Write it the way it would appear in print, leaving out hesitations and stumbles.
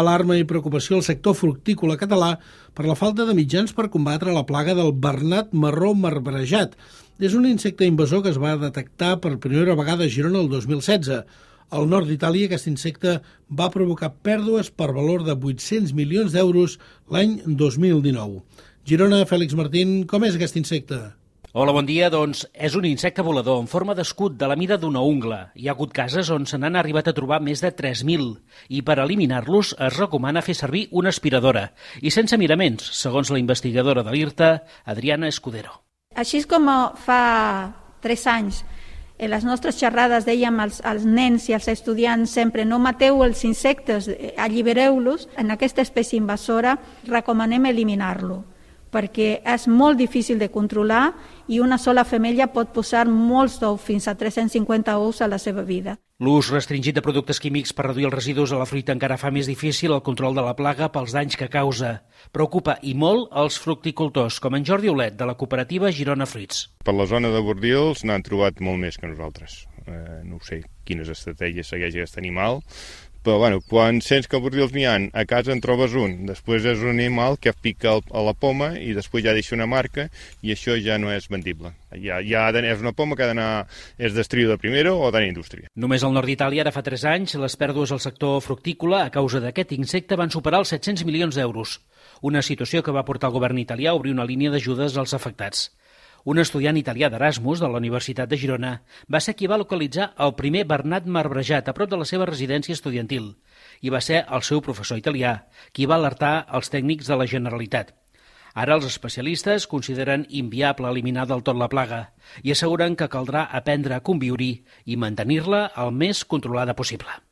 alarma i preocupació al sector fructícola català per la falta de mitjans per combatre la plaga del bernat marró marbrejat. És un insecte invasor que es va detectar per primera vegada a Girona el 2016. Al nord d'Itàlia, aquest insecte va provocar pèrdues per valor de 800 milions d'euros l'any 2019. Girona, Fèlix Martín, com és aquest insecte? Hola, bon dia. Doncs és un insecte volador en forma d'escut de la mida d'una ungla. Hi ha hagut cases on se n'han arribat a trobar més de 3.000 i per eliminar-los es recomana fer servir una aspiradora i sense miraments, segons la investigadora de l'IRTA, Adriana Escudero. Així com fa 3 anys en les nostres xerrades dèiem als nens i als estudiants sempre no mateu els insectes, allibereu-los, en aquesta espècie invasora recomanem eliminar-lo, perquè és molt difícil de controlar i una sola femella pot posar molts ous, fins a 350 ous a la seva vida. L'ús restringit de productes químics per reduir els residus a la fruita encara fa més difícil el control de la plaga pels danys que causa. Preocupa i molt els fructicultors, com en Jordi Olet, de la cooperativa Girona Fruits. Per la zona de Bordils n'han trobat molt més que nosaltres. No sé quines estratègies segueix aquest animal, però quan sents que a Bordils n'hi ha, a casa en trobes un. Després és un animal que pica a la poma i després ja deixa una marca i això ja no és vendible. Ja és una poma que és d'estrio de primera o d'indústria. Només al nord d'Itàlia, ara fa 3 anys, les pèrdues al sector fructícola a causa d'aquest insecte van superar els 700 milions d'euros. Una situació que va portar el govern italià a obrir una línia d'ajudes als afectats. Un estudiant italià d'Erasmus de la Universitat de Girona va ser qui va localitzar el primer bernat marbrejat a prop de la seva residència estudiantil i va ser el seu professor italià qui va alertar els tècnics de la Generalitat. Ara els especialistes consideren inviable eliminar del tot la plaga i asseguren que caldrà aprendre a conviure-hi i mantenir-la el més controlada possible.